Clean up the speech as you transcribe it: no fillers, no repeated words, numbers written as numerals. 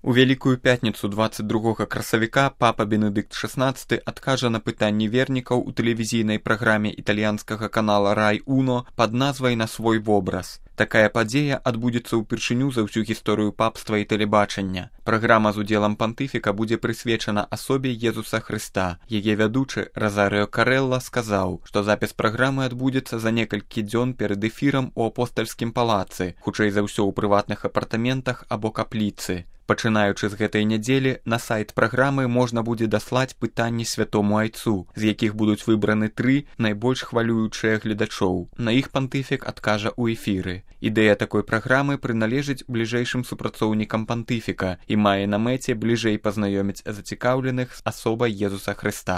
У Вялікую пятніцу 22 красавіка папа Бенедыкт XVI адкажа на пытанні вернікаў у тэлевізійнай праграме італьянскага канала Рай Уно пад назвай «На свой вобраз». Такая падзея адбудзецца ўпершыню за ўсю гісторыю папства і тэлебачання. Праграма з удзелам пантыфіка будзе прысвечана асобе Езуса Хрыста. Яе вядучы Розарыо Карэлла сказаў, што запіс праграмы адбудзецца за некалькі дзён перад эфірам у апостальскім палацы, хутчэй за ўсё ў прыватных апартаментах або капліцы. Пачынаючы з гэтай нядзелі, на сайт праграмы можна будзе даслаць пытанні святому айцу, з якіх будуць выбраны 3 найбольш хвалюючыя гледачоў. На іх пантыфік адкажа ў эфіры. Ідэя такой праграмы прыналежыць бліжэйшым супрацоўнікам пантыфіка і мае на мэце бліжэй пазнаёміць зацікаўленых з асобай Езуса Хрыста.